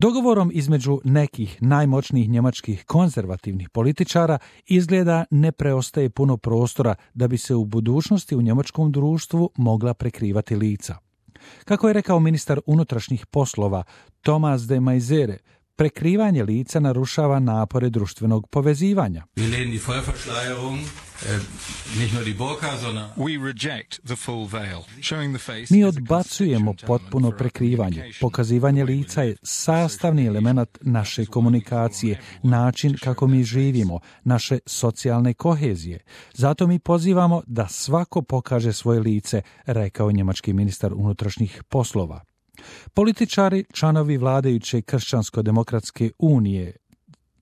Dogovorom između nekih najmoćnijih njemačkih konzervativnih političara izgleda ne preostaje puno prostora da bi se u budućnosti u njemačkom društvu mogla prekrivati lica. Kako je rekao ministar unutrašnjih poslova Thomas de Maizière, prekrivanje lica narušava napore društvenog povezivanja. Mi odbacujemo potpuno prekrivanje. Pokazivanje lica je sastavni element naše komunikacije, način kako mi živimo, naše socijalne kohezije. Zato mi pozivamo da svako pokaže svoje lice, rekao njemački ministar unutrašnjih poslova. Političari, članovi vladajuće Kršćansko-demokratske unije,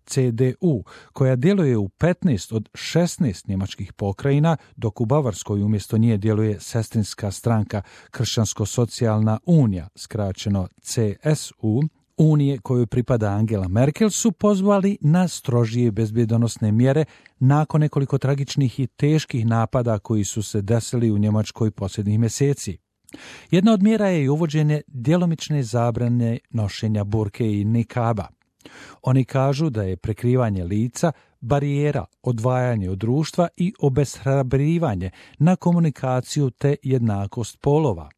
CDU, koja djeluje u 15 od 16 njemačkih pokrajina, dok u Bavarskoj umjesto nje djeluje sestrinska stranka Kršćansko-socijalna unija, skraćeno CSU, unije kojoj pripada Angela Merkel, su pozvali na strožije bezbjedonosne mjere nakon nekoliko tragičnih i teških napada koji su se desili u Njemačkoj posljednjih mjeseci. Jedna od mjera je i uvođenje djelomične zabrane nošenja burke i nikaba. Oni kažu da je prekrivanje lica barijera, odvajanje od društva i obeshrabrivanje na komunikaciju te jednakost polova.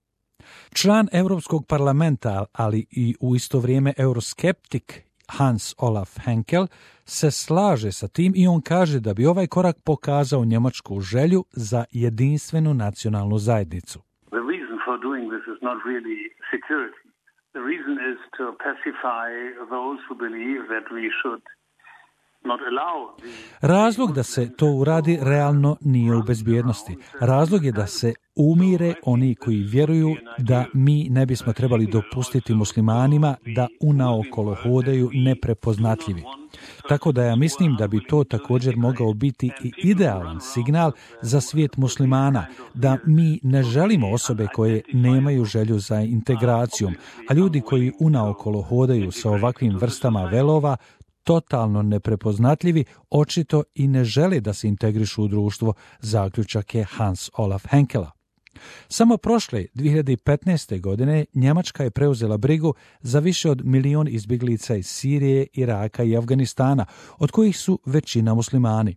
Član Europskog parlamenta, ali i u isto vrijeme euroskeptik Hans Olaf Henkel se slaže sa tim i on kaže da bi ovaj korak pokazao njemačku želju za jedinstvenu nacionalnu zajednicu. The reason for doing this is not really security. The reason is to pacify those who believe that we should not allow the... Razlog da se to uradi realno nije u bezbjednosti. Razlog je da se umire oni koji vjeruju da mi ne bismo trebali dopustiti muslimanima da unaokolo hodaju neprepoznatljivi. Tako da ja mislim da bi to također mogao biti i idealan signal za svijet muslimana, da mi ne želimo osobe koje nemaju želju za integracijom, a ljudi koji unaokolo hodaju sa ovakvim vrstama velova, totalno neprepoznatljivi, očito i ne žele da se integrišu u društvo, zaključak je Hans Olaf Henkela. Samo prošle 2015. godine Njemačka je preuzela brigu za više od 1 milion izbjeglica iz Sirije, Iraka i Afganistana, od kojih su većina muslimani.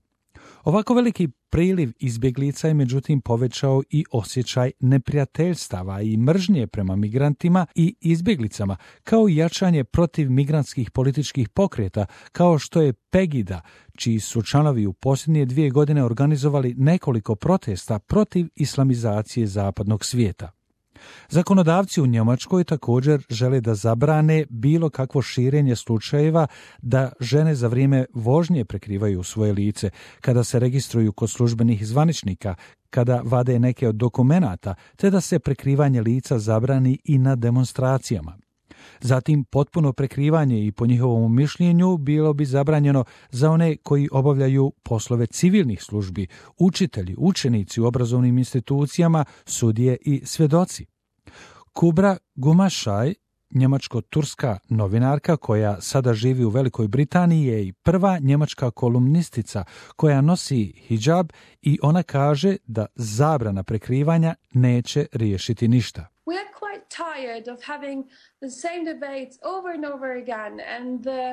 Ovako veliki priliv izbjeglica je međutim povećao i osjećaj neprijateljstava i mržnje prema migrantima i izbjeglicama, kao i jačanje protiv migrantskih političkih pokreta, kao što je Pegida, čiji su članovi u posljednje 2 godine organizovali nekoliko protesta protiv islamizacije zapadnog svijeta. Zakonodavci u Njemačkoj također žele da zabrane bilo kakvo širenje slučajeva da žene za vrijeme vožnje prekrivaju svoje lice, kada se registruju kod službenih zvaničnika, kada vade neke od dokumenata, te da se prekrivanje lica zabrani i na demonstracijama. Zatim, potpuno prekrivanje i po njihovom mišljenju bilo bi zabranjeno za one koji obavljaju poslove civilnih službi, učitelji, učenici u obrazovnim institucijama, sudije i svjedoci. Kubra Gumašaj, njemačko-turska novinarka koja sada živi u Velikoj Britaniji, je i prva njemačka kolumnistica koja nosi hidžab i ona kaže da zabrana prekrivanja neće riješiti ništa. We are quite tired of having the same debates over and over again, and the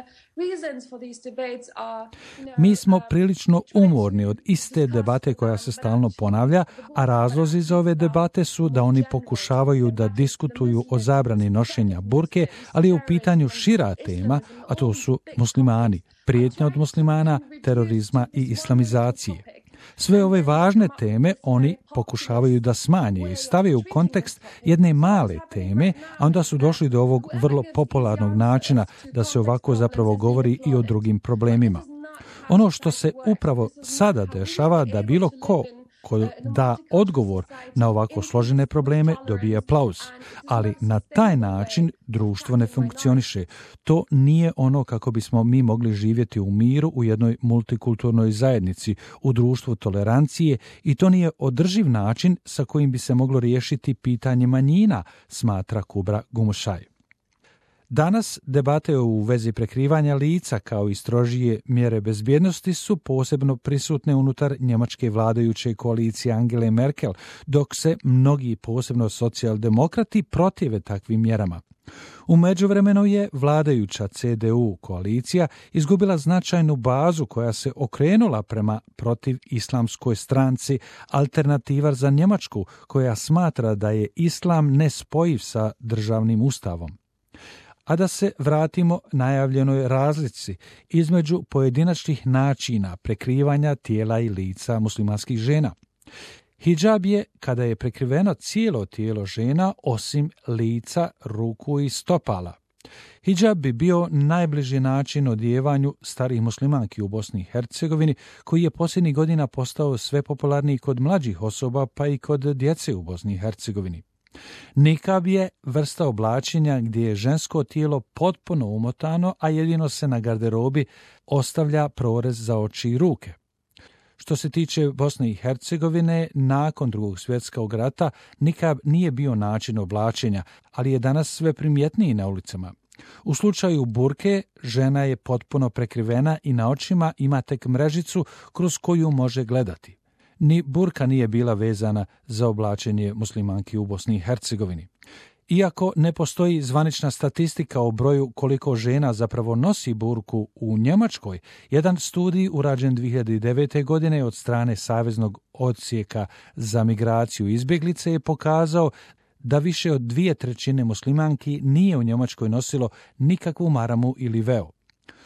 reasons for these debates are... Mi smo prilično umorni od iste debate koja se stalno ponavlja, a razlozi za ove debate su da oni pokušavaju da diskutuju o zabrani nošenja burke, ali je u pitanju šira tema, a to su muslimani, prijetnja od muslimana, terorizma i islamizacije. Sve ove važne teme oni pokušavaju da smanje i stave u kontekst jedne male teme, a onda su došli do ovog vrlo popularnog načina da se ovako zapravo govori i o drugim problemima. Ono što se upravo sada dešava da bilo ko da odgovor na ovako složene probleme dobije aplauz, ali na taj način društvo ne funkcioniše. To nije ono kako bismo mi mogli živjeti u miru u jednoj multikulturnoj zajednici, u društvu tolerancije, i to nije održiv način sa kojim bi se moglo riješiti pitanje manjina, smatra Kubra Gumušaj. Danas debate u vezi prekrivanja lica kao i strožije mjere bezbjednosti su posebno prisutne unutar njemačke vladajuće koalicije Angele Merkel, dok se mnogi, posebno socijaldemokrati, protive takvim mjerama. U međuvremenu je vladajuća CDU koalicija izgubila značajnu bazu koja se okrenula prema protiv islamskoj stranci Alternativa za Njemačku, koja smatra da je islam nespojiv sa državnim ustavom. A da se vratimo najavljenoj razlici između pojedinačnih načina prekrivanja tijela i lica muslimanskih žena. Hidžab je kada je prekriveno cijelo tijelo žena osim lica, ruku i stopala. Hidžab bi bio najbliži način odjevanju starih muslimanki u Bosni i Hercegovini, koji je posljednjih godina postao sve popularniji kod mlađih osoba pa i kod djece u Bosni i Hercegovini. Nikab je vrsta oblačenja gdje je žensko tijelo potpuno umotano, a jedino se na garderobi ostavlja prorez za oči i ruke. Što se tiče Bosne i Hercegovine, nakon Drugog svjetskog rata nikab nije bio način oblačenja, ali je danas sve primjetniji na ulicama. U slučaju burke, žena je potpuno prekrivena i na očima ima tek mrežicu kroz koju može gledati. Ni burka nije bila vezana za oblačenje muslimanki u Bosni i Hercegovini. Iako ne postoji zvanična statistika o broju koliko žena zapravo nosi burku u Njemačkoj, jedan studij urađen 2009. godine od strane Saveznog odsjeka za migraciju i izbjeglice je pokazao da više od 2/3 muslimanki nije u Njemačkoj nosilo nikakvu maramu ili veo.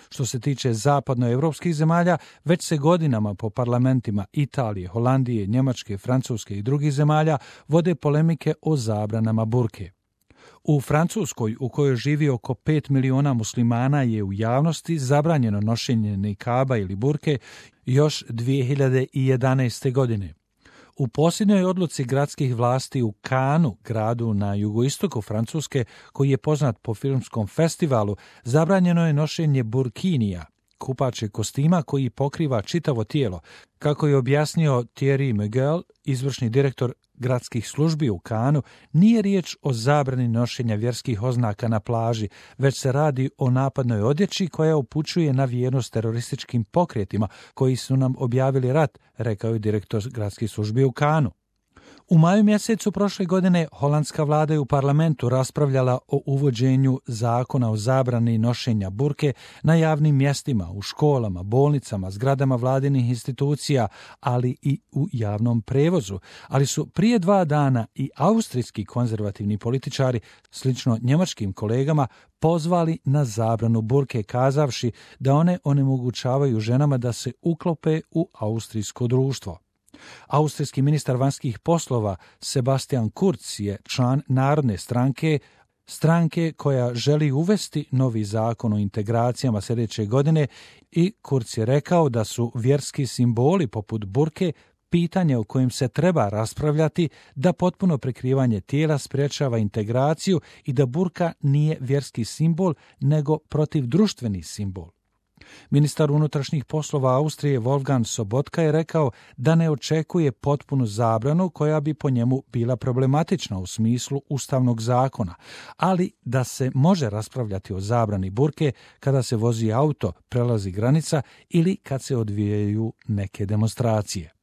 Što se tiče zapadnoevropskih zemalja, već se godinama po parlamentima Italije, Holandije, Njemačke, Francuske i drugih zemalja vode polemike o zabranama burke. U Francuskoj, u kojoj živi oko 5 miliona muslimana, je u javnosti zabranjeno nošenje nikaba ili burke još 2011. godine. U posljednjoj odluci gradskih vlasti u Cannesu, gradu na jugoistoku Francuske, koji je poznat po filmskom festivalu, zabranjeno je nošenje burkinija, kupačeg kostima koji pokriva čitavo tijelo, kako je objasnio Thierry Miguel, izvršni direktor gradskih službi u Cannesu. Nije riječ o zabrani nošenja vjerskih oznaka na plaži, već se radi o napadnoj odjeći koja upućuje na vjernost terorističkim pokretima koji su nam objavili rat, rekao je direktor gradskih službi u Cannesu. U maju mjesecu prošle godine holandska vlada je u parlamentu raspravljala o uvođenju zakona o zabrani nošenja burke na javnim mjestima, u školama, bolnicama, zgradama vladinih institucija, ali i u javnom prevozu. Ali su prije 2 dana i austrijski konzervativni političari, slično njemačkim kolegama, pozvali na zabranu burke, kazavši da one onemogućavaju ženama da se uklope u austrijsko društvo. Austrijski ministar vanjskih poslova Sebastian Kurz je član Narodne stranke koja želi uvesti novi zakon o integracijama sljedeće godine, i Kurz je rekao da su vjerski simboli poput burke pitanje o kojem se treba raspravljati, da potpuno prekrivanje tijela sprječava integraciju i da burka nije vjerski simbol nego protivdruštveni simbol. Ministar unutrašnjih poslova Austrije Wolfgang Sobotka je rekao da ne očekuje potpunu zabranu koja bi po njemu bila problematična u smislu ustavnog zakona, ali da se može raspravljati o zabrani burke kada se vozi auto, prelazi granica ili kad se odvijaju neke demonstracije.